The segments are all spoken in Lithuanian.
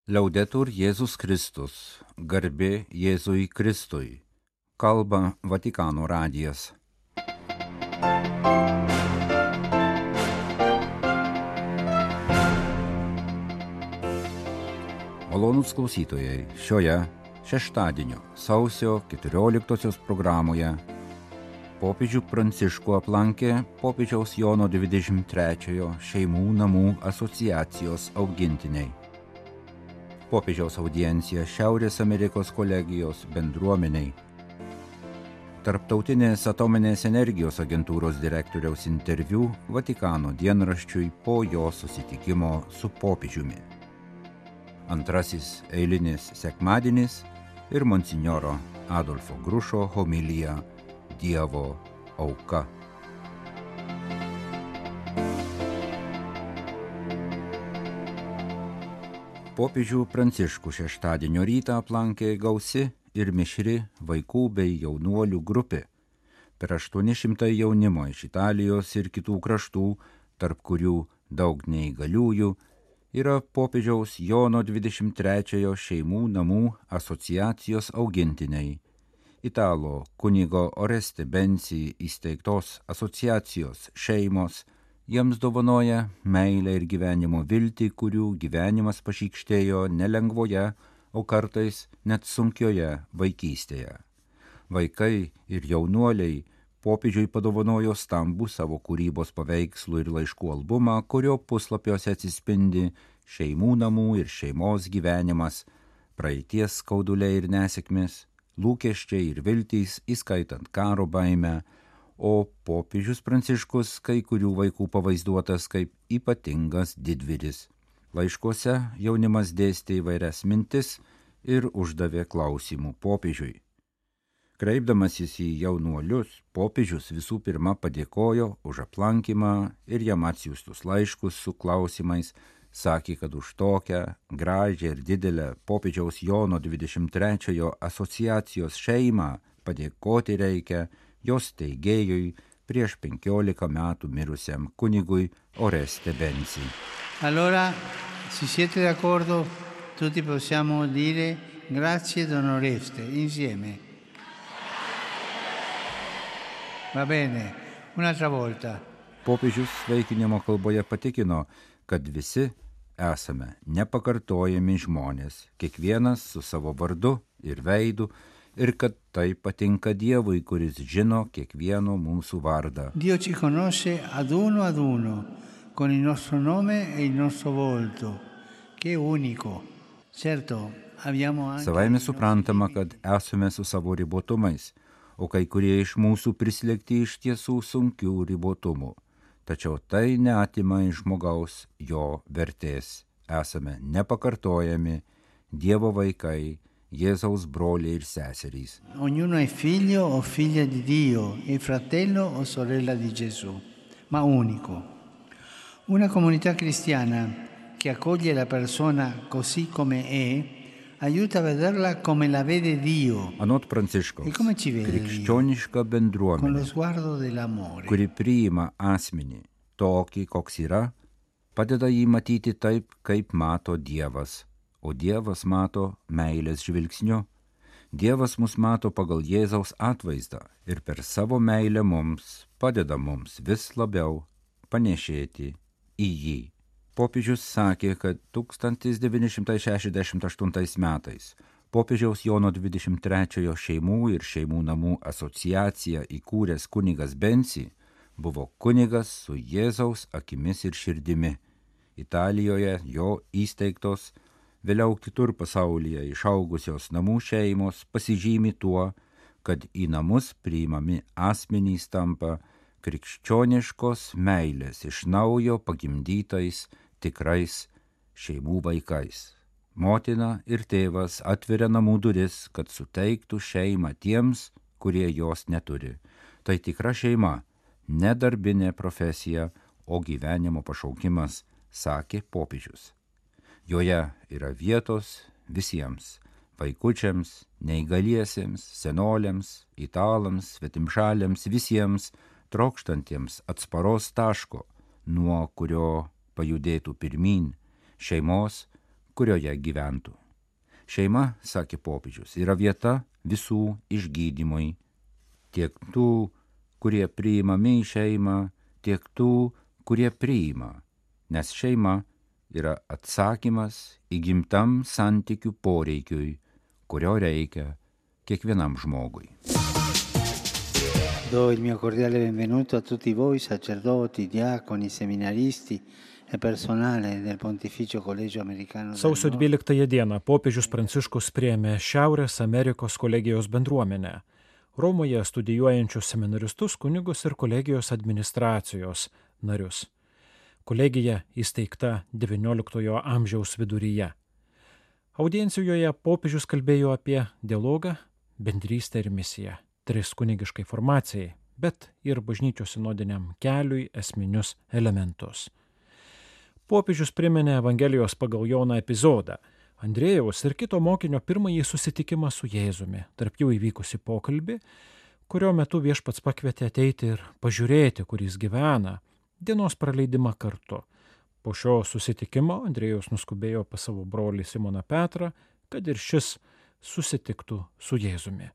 Liaudetur Jėzus Kristus, garbė Jėzui Kristui, kalba Vatikano radijas. Malonūs klausytojai, šioje šeštadienio sausio 14 programoje popiežių Pranciškų aplankė popiežiaus Jono 23 šeimų namų asociacijos augintiniai. Popiežiaus audiencija Šiaurės Amerikos kolegijos bendruomeniai. Tarptautinės atominės energijos agentūros direktoriaus interviu Vatikano dienraščiui po jo susitikimo su popiežiumi. Antrasis eilinis sekmadienis ir monsinjoro Adolfo Grušo homilija Dievo auka. Popiežių Pranciškų šeštadienio rytą aplankė gausi ir mišri vaikų bei jaunuolių grupė. Per 800 jaunimo iš Italijos ir kitų kraštų, tarp kurių daug neįgaliųjų, yra popiežiaus Jono 23 šeimų namų asociacijos augintiniai. Italo kunigo Oreste Bensi įsteigtos asociacijos šeimos jiems dovanoja meilę ir gyvenimo viltį, kurių gyvenimas pašykštėjo nelengvoje, o kartais net sunkioje vaikystėje. Vaikai ir jaunuoliai popiežiui padovanojo stambų savo kūrybos paveikslų ir laiškų albumą, kurio puslapiuose atsispindi šeimų namų ir šeimos gyvenimas, praeities skauduliai ir nesėkmės, lūkesčiai ir viltys, įskaitant karo baimę, o popiežius Pranciškus kai kurių vaikų pavaizduotas kaip ypatingas didvyris. Laiškuose jaunimas dėstė įvairias mintis ir uždavė klausimų popiežiui. Kreipdamasis į jaunuolius, popiežius visų pirma padėkojo už aplankymą ir jam atsiųstus laiškus su klausimais, sakė, kad už tokią gražią ir didelę popiežiaus Jono 23 asociacijos šeimą padėkoti reikia jos steigėjui prieš 15 metų mirusiam kunigui Oreste Bensi. Allora, se siete d'accordo, tutti possiamo dire grazie Don Oreste, insieme. Va bene, un'altra volta. Popiežius sveikinimo kalboje patikino, kad visi esame nepakartojami žmonės, kiekvienas su savo vardu ir veidu, ir kad tai patinka Dievui, kuris žino kiekvieno mūsų vardą. Dio ci conosce ad uno, con il nostro nome e il nostro volto, che è unico. Certo, abbiamo anche... Savaime suprantama, kad esame su savo ribotumais, o kai kurie iš mūsų prislėgti iš tiesų sunkių ribotumų. Tačiau tai neatima iš žmogaus jo vertės. Esame nepakartojami, Dievo vaikai, Jėzaus broliai ir seserys. Ognuno è figlio o figlia di Dio, è fratello o sorella di Gesù, ma unico. Una comunità cristiana che accoglie la persona così come è, aiuta a vederla come la vede Dio. Anot Pranciškaus, krikščioniška bendruomenė, kuri priima asmenį tokį, koks yra, padeda jį matyti taip, kaip mato Dievas, o Dievas mato meilės žvilgsniu. Dievas mus mato pagal Jėzaus atvaizdą ir per savo meilę mums padeda mums vis labiau panėšėti į jį. Popiežius sakė, kad 1968 metais popiežiaus Jono 23 šeimų ir šeimų namų asociaciją įkūręs kunigas Bensi buvo kunigas su Jėzaus akimis ir širdimi. Italijoje jo įsteigtos, vėliau kitur pasaulyje išaugusios namų šeimos pasižymi tuo, kad į namus priimami asmenys tampa krikščioniškos meilės iš naujo pagimdytais tikrais šeimų vaikais. Motina ir tėvas atveria namų duris, kad suteiktų šeimą tiems, kurie jos neturi. Tai tikra šeima, ne darbinė profesija, o gyvenimo pašaukimas, sakė popiežius. Joje yra vietos visiems – vaikučiams, neįgaliesiems, senoliams, italams, svetimšaliams, visiems trokštantiems atsparos taško, nuo kurio pajudėtų pirmyn, šeimos, kurioje gyventų. Šeima, sakė popiežius, yra vieta visų išgydymui, tiek tų, kurie priimami į šeimą, tiek tų, kurie priima, nes šeima yra atsakymas įgimtam santykių poreikiui, kurio reikia kiekvienam žmogui. Do il mio cordiale benvenuto a tutti voi, sacerdoti, diaconi, seminaristi e personale del Pontificio Collegio Americano. Sausio 12 dieną popiežius Pranciškus priėmė Šiaurės Amerikos kolegijos bendruomenę, Romoje studijuojančius seminaristus, kunigus ir kolegijos administracijos narius. Kolegija įsteigta XIX amžiaus viduryje. Audiencijoje popiežius kalbėjo apie dialogą, bendrystę ir misiją, 3 kunigiškai formacijai, bet ir bažnyčios sinodiniam keliui esminius elementus. Popiežius priminė Evangelijos pagal Joną epizodą, Andriejaus ir kito mokinio pirmąjį susitikimą su Jėzumi, tarp jų įvykusi pokalbį, kurio metu viešpats pakvietė ateiti ir pažiūrėti, kur jis gyvena, dienos praleidimą kartu. Po šio susitikimo Andriejaus nuskubėjo pas savo brolį Simoną Petrą, kad ir šis susitiktų su Jėzumi.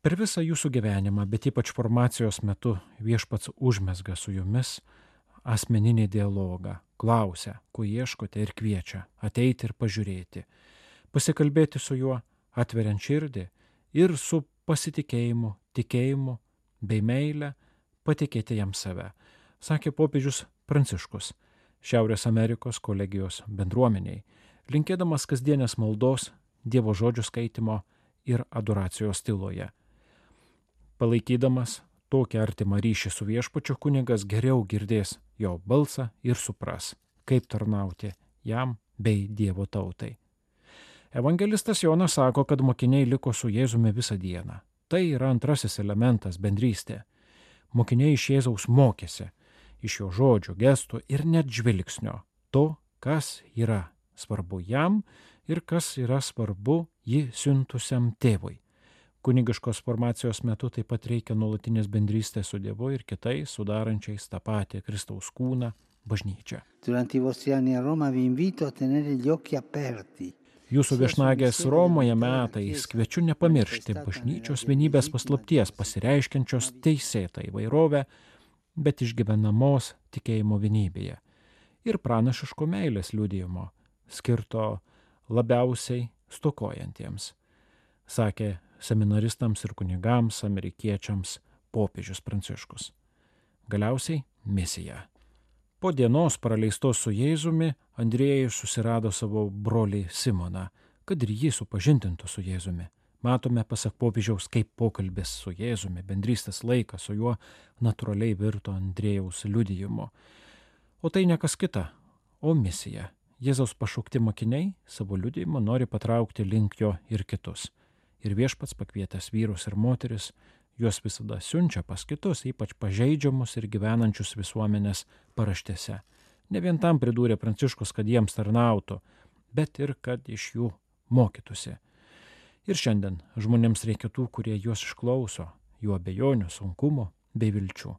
Per visą jūsų gyvenimą, bet ypač formacijos metu, viešpats užmezga su jumis asmeninį dialogą, klausia, ko ieškote ir kviečia ateiti ir pažiūrėti, pasikalbėti su juo, atveriant širdį ir su pasitikėjimu, tikėjimu bei meile patikėti jam save, sakė popiežius Pranciškus Šiaurės Amerikos kolegijos bendruomeniai, linkėdamas kasdienės maldos, Dievo žodžių skaitimo ir adoracijos tyloje. Palaikydamas tokį artimą ryšį su viešpačiu, kunigas geriau girdės jo balsą ir supras, kaip tarnauti jam bei Dievo tautai. Evangelistas Jonas sako, kad mokiniai liko su Jėzumi visą dieną. Tai yra antrasis elementas - bendrystė. Mokiniai iš Jėzaus mokėsi, iš jo žodžių, gestų ir net žvilgsnio, to, kas yra svarbu jam ir kas yra svarbu jį siuntusiam tėvui. Kunigiškos formacijos metu taip pat reikia nuolatinės bendrystės su Dievu ir kitais, sudarančiais tą patį Kristaus kūną, bažnyčią. Durante i vostri anni a Roma vi invito a tenere gli occhi aperti. Jūsų viešnagės Romoje metais kviečiu nepamiršti bažnyčios vienybės paslapties, pasireiškiančios teisėtą įvairovę, bet išgyvenamos tikėjimo vienybėje ir pranašiško meilės liudijimo, skirto labiausiai stokojantiems, sakė seminaristams ir kunigams, amerikiečiams popiežius Pranciškus. Galiausiai misija. Po dienos praleistos su Jėzumi, Andriejus susirado savo brolį Simoną, kad ir jį supažindintų su Jėzumi. Matome, pasak popiežiaus, kaip pokalbis su Jėzumi, bendrystės laikas su juo natūraliai virto Andriejaus liudijimu. O tai ne kas kita, o misija. Jėzaus pašaukti mokiniai savo liudijimu nori patraukti link jo ir kitus. Ir viešpats pakvietęs vyrus ir moteris, juos visada siunčia pas kitus, ypač pažeidžiamus ir gyvenančius visuomenės paraštėse. Ne vien tam pridūrė Pranciškus, kad jiems tarnautų, bet ir kad iš jų mokytųsi. Ir šiandien žmonėms reikia tų, kurie juos išklauso, jų abejonių, sunkumų bei vilčių.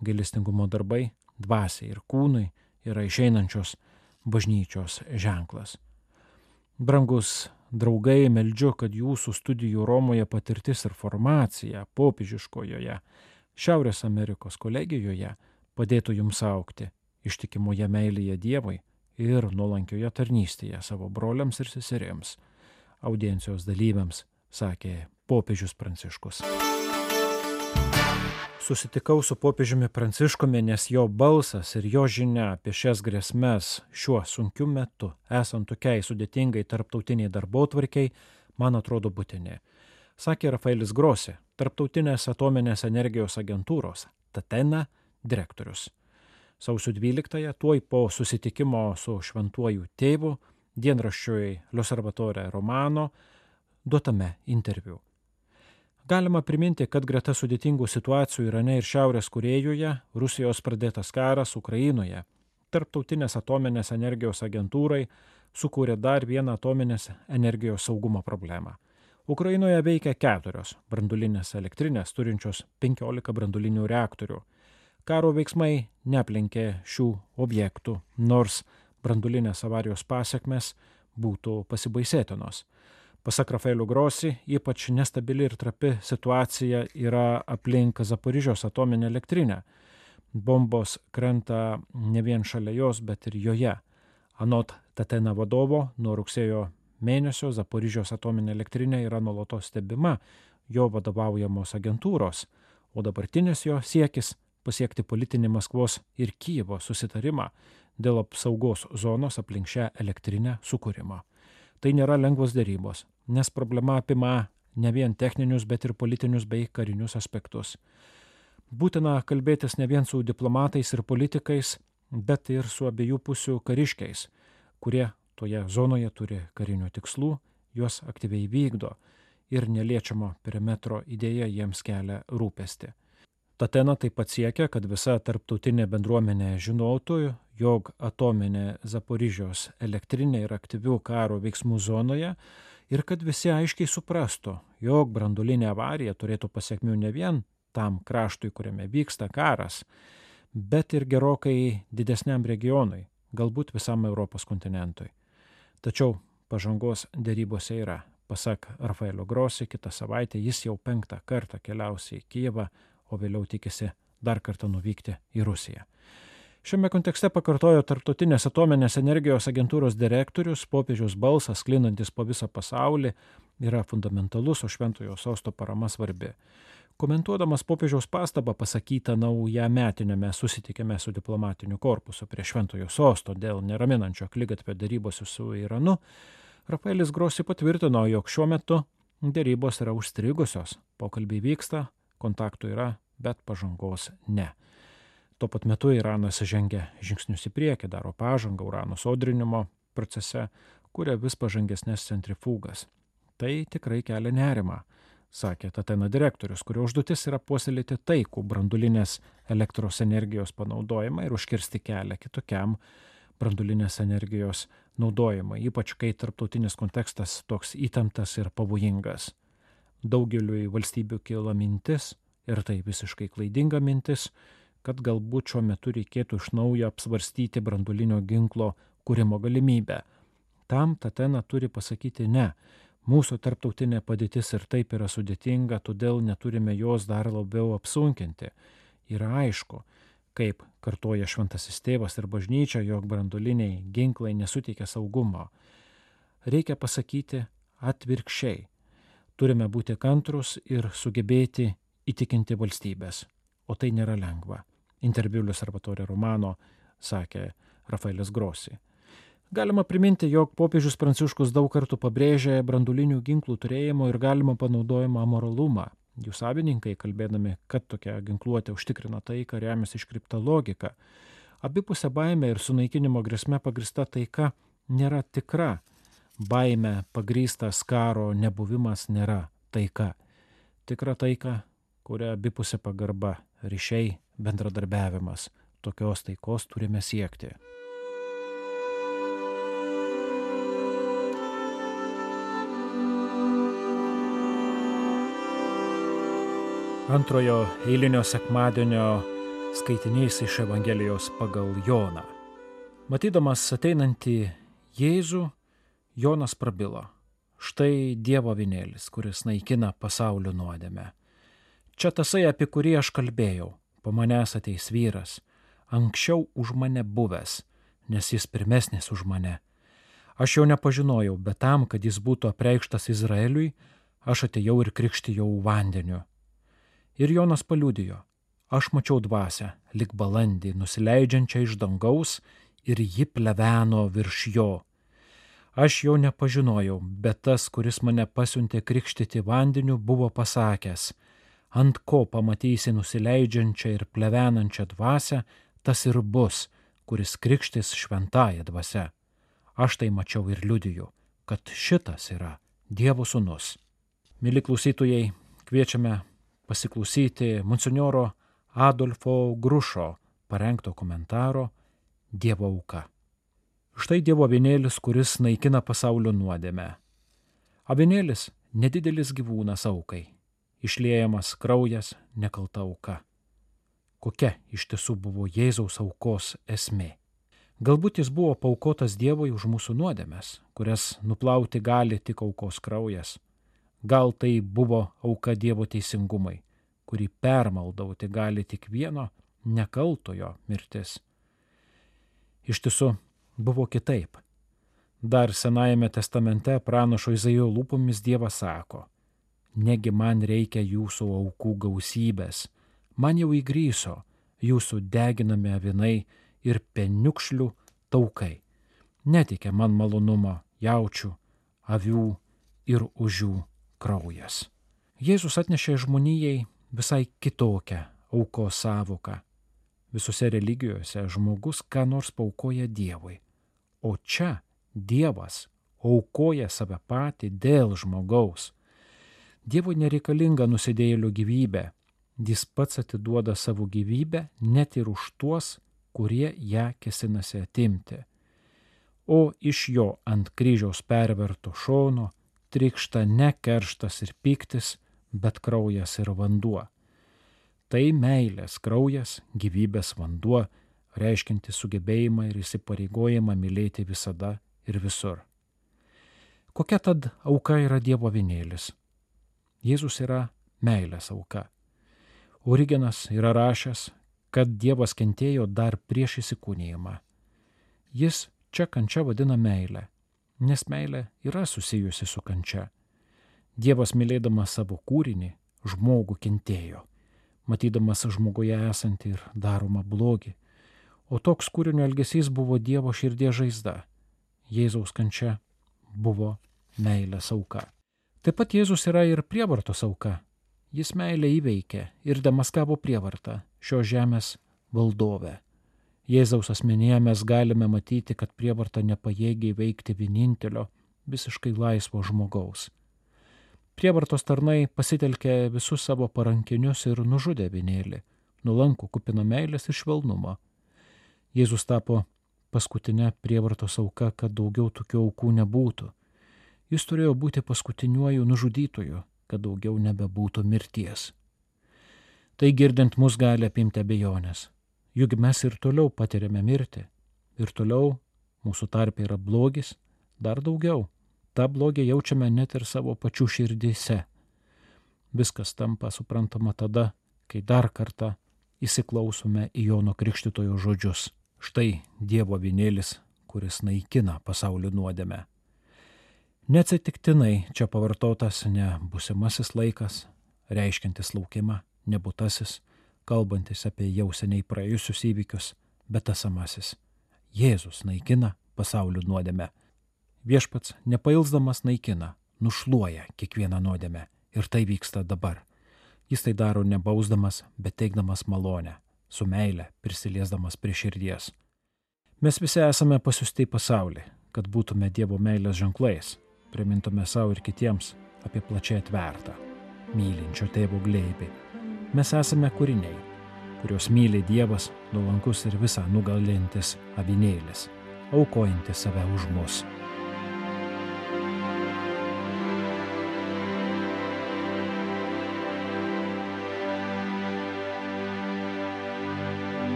Gailestingumo darbai, dvasiai ir kūnui yra išeinančios bažnyčios ženklas. Brangus draugai, meldžiu, kad jūsų studijų Romoje patirtis ir formacija popiežiškojoje Šiaurės Amerikos kolegijoje padėtų jums augti ištikimoje meilėje Dievui ir nuolankioje tarnystėje savo broliams ir seserims. Audiencijos dalyviams sakė popiežius Pranciškus. Susitikau su popiežiumi Pranciškumi, nes jo balsas ir jo žinia apie šias grėsmes šiuo sunkiu metu, esant tokiai sudėtingai tarptautiniai darbotvarkiai, man atrodo būtini. Sakė Rafaelis Grossi, Tarptautinės atominės energijos agentūros Tatena direktorius. Sausio 12-ąją, tuoj po susitikimo su šventuoju tėvu, dienraščiui L'Osservatore Romano duotame interviu. Galima priminti, kad greta sudėtingų situacijų Irane ir Šiaurės Korėjoje, Rusijos pradėtas karas Ukrainoje, Tarptautinės atominės energijos agentūrai sukūrė dar vieną atominės energijos saugumo problemą. Ukrainoje veikia 4 branduolinės elektrinės turinčios 15 branduolinių reaktorių. Karo veiksmai neaplenkė šių objektų, nors brandulinės avarijos pasekmes būtų pasibaisėtinos. Pasak Rafaelio Grossi, ypač nestabili ir trapi situacija yra aplink Zaporižios atominę elektrinę. Bombos krenta ne vien šalia jos, bet ir joje. Anot Tatena vadovo, nuo rugsėjo mėnesio Zaporižios atominė elektrinė yra nuolatos stebima jo vadovaujamos agentūros, o dabartinis jo siekis pasiekti politinį Maskvos ir Kijevo susitarimą dėl apsaugos zonos aplink šią elektrinę sukūrimo. Tai nėra lengvos dėrybos, nes problema apima ne vien techninius, bet ir politinius bei karinius aspektus. Būtina kalbėtis ne vien su diplomatais ir politikais, bet ir su abiejų pusių kariškiais, kurie toje zonoje turi karinių tikslų, juos aktyviai vykdo ir neliečiamo perimetro idėja jiems kelia rūpestį. Tatena taip pat siekia, kad visa tarptautinė bendruomenė žinotų, jog atominė Zaporižios elektrinė yra aktyvių karo veiksmų zonoje ir kad visi aiškiai suprastų, jog branduolinė avarija turėtų pasekmių ne vien tam kraštui, kuriame vyksta karas, bet ir gerokai didesniam regionui, galbūt visam Europos kontinentui. Tačiau pažangos dėrybose yra. Pasak Rafaelio Grossi, kitą savaitę jis jau 5. kartą keliaus į Kijevą, o vėliau tikisi dar kartą nuvykti į Rusiją. Šiame kontekste pakartojo Tarptautinės atominės energijos agentūros direktorius, popiežiaus balsas, sklindantis po visą pasaulį, yra fundamentalus, o šventojo sosto parama svarbi. Komentuodamas popiežiaus pastabą pasakytą naujametiniame susitikime su diplomatiniu korpusu prie šventojo sosto dėl neraminančio akligatvio dėrybose su Iranu, Rafaelis Grossi patvirtino, jog šiuo metu dėrybos yra užstrigusios, pokalbiai vyksta, kontaktų yra, bet pažangos ne. Tuo pat metu Iranas žengia žingsnius į priekį, daro pažangą urano sodrinimo procese, kuria vis pažangesnės centrifugas. Tai tikrai kelia nerimą, sakė Tatena direktorius, kurio užduotis yra puoselėti taikų branduolinės elektros energijos panaudojimą ir užkirsti kelią kitokiam branduolinės energijos naudojimą, ypač kai tarptautinis kontekstas toks įtemptas ir pavojingas. Daugeliui valstybių kyla mintis, ir tai visiškai klaidinga mintis, kad galbūt šiuo metu reikėtų iš naujo apsvarstyti branduolinio ginklo kūrimo galimybę. Tam Tatena turi pasakyti ne. Mūsų tarptautinė padėtis ir taip yra sudėtinga, todėl neturime jos dar labiau apsunkinti. Yra aišku, kaip kartoja šventasis tėvas ir bažnyčia, jog branduoliniai ginklai nesuteikia saugumo. Reikia pasakyti atvirkščiai. Turime būti kantrus ir sugebėti įtikinti valstybės, o tai nėra lengva. Interviu L'Osservatore Romano sakė Rafaelis Grossi. Galima priminti, jog popiežius Pranciškus daug kartų pabrėžė branduolinių ginklų turėjimo ir galimo panaudojimo amoralumą. Jų savininkai, kalbėdami, kad tokia ginkluotė užtikrina taiką, remiasi iškreipta logika. Abipusė baimė ir sunaikinimo grėsme pagrįsta taika nėra tikra. Baimė pagrįstas karo nebuvimas nėra taika. Tikra taika, kuria abipusė pagarba, ryšiai, bendradarbiavimas. Tokios taikos turime siekti. Antrojo eilinio sekmadienio skaitinys iš Evangelijos pagal Joną. Matydamas ateinantį Jėzų, Jonas prabilo. Štai Dievo avinėlis, kuris naikina pasaulio nuodėmę. Čia tasai, apie kurį aš kalbėjau. Po manęs ateis vyras, anksčiau už mane buvęs, nes jis pirmesnis už mane. Aš jo nepažinojau, bet tam, kad jis būtų apreikštas Izraeliui, aš atėjau ir krikštijau vandeniu. Ir Jonas paliudijo, aš mačiau dvasią, lyg balandį, nusileidžiančią iš dangaus, ir ji pleveno virš jo. Aš jo nepažinojau, bet tas, kuris mane pasiuntė krikštyti vandeniu, buvo pasakęs, ant ko pamatysi nusileidžiančią ir plevenančią dvasią, tas ir bus, kuris krikštis šventąja dvasia. Aš tai mačiau ir liudiju, kad šitas yra Dievo sūnus. Mili klausytojai, kviečiame pasiklausyti monsinjoro Adolfo Grušo parengto komentaro Dievo auka. Štai Dievo avinėlis, kuris naikina pasaulio nuodėmę. Avinėlis – nedidelis gyvūnas aukai. Išliejamas kraujas, nekalta auka. Kokia iš tiesų buvo Jėzaus aukos esmė? Galbūt jis buvo paaukotas Dievui už mūsų nuodėmes, kurias nuplauti gali tik aukos kraujas. Gal tai buvo auka Dievo teisingumai, kurį permaldauti gali tik vieno nekaltojo mirtis. Iš tiesų, buvo kitaip. Dar Senajame testamente pranašo Izaijo lūpomis Dievas sako: negi man reikia jūsų aukų gausybės, man jau įgryso jūsų deginami avinai ir peniukšlių taukai. Netikė man malonumo jaučių, avių ir ožių kraujas. Jėzus atnešė žmonijai visai kitokią aukos sąvoką. Visose religijose žmogus ką nors paaukoja Dievui, o čia Dievas aukoja save patį dėl žmogaus. Dievui nereikalinga nusidėjėlio gyvybė, jis pats atiduoda savo gyvybę net ir už tuos, kurie ją kėsinasi atimti. O iš jo ant kryžiaus perverto šono trykšta ne kerštas ir pyktis, bet kraujas ir vanduo. Tai meilės kraujas, gyvybės vanduo, reiškianti sugebėjimą ir įsipareigojimą mylėti visada ir visur. Kokia tad auka yra Dievo avinėlis? Jėzus yra meilės auka. Origenas yra rašęs, kad Dievas kentėjo dar prieš įsikūnijimą. Jis čia kančia vadina meilę, nes meilė yra susijusi su kančia. Dievas mylėdamas savo kūrinį, žmogų kentėjo, matydamas žmoguje esantį ir daromą blogį, o toks kūrinio elgesys buvo Dievo širdies žaizda. Jėzaus kančia buvo meilės auka. Taip pat Jėzus yra ir prievartos auka. Jis meilę įveikė ir demaskavo prievartą, šios žemės valdovę. Jėzaus asmenyje mes galime matyti, kad prievarta nepajėgia įveikti vienintelio, visiškai laisvo žmogaus. Prievartos tarnai pasitelkė visus savo parankinius ir nužudė avinėlį, nulankų kupiną meilės ir švelnumo. Jėzus tapo paskutinė prievartos auka, kad daugiau tokių aukų nebūtų. Jis turėjo būti paskutiniuoju nužudytoju, kad daugiau nebebūtų mirties. Tai girdint mus gali apimti abejonės. Juk mes ir toliau patiriame mirtį. Ir toliau mūsų tarpe yra blogis, dar daugiau. Ta blogį jaučiame net ir savo pačių širdyse. Viskas tampa suprantama tada, kai dar kartą įsiklausome į Jono Krikštytojo žodžius. Štai Dievo avinėlis, kuris naikina pasaulio nuodėmę. Neatsitiktinai čia pavartotas ne būsimasis laikas, reiškiantis laukimą, ne būtasis, kalbantis apie jau seniai praėjusius įvykius, bet esamasis. Jėzus naikina pasaulio nuodėmę. Viešpats nepailsdamas naikina, nušluoja kiekvieną nuodėmę ir tai vyksta dabar. Jis tai daro nebausdamas, bet teikdamas malonę, su meile prisiliesdamas prie širdies. Mes visi esame pasiųsti į pasaulį, kad būtume Dievo meilės ženklais, primintume savo ir kitiems apie plačiai atvertą, mylinčio tėvo glėbį. Mes esame kūriniai, kuriuos myli Dievas, nuolankus ir visą nugalintis avinėlis, aukojantis save už mus.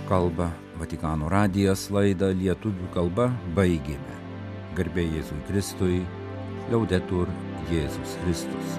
Kalba Vatikano radijas, laidą lietuvių kalba baigėme. Garbė Jėzui Kristui, Liaudetur Jėzus Kristus.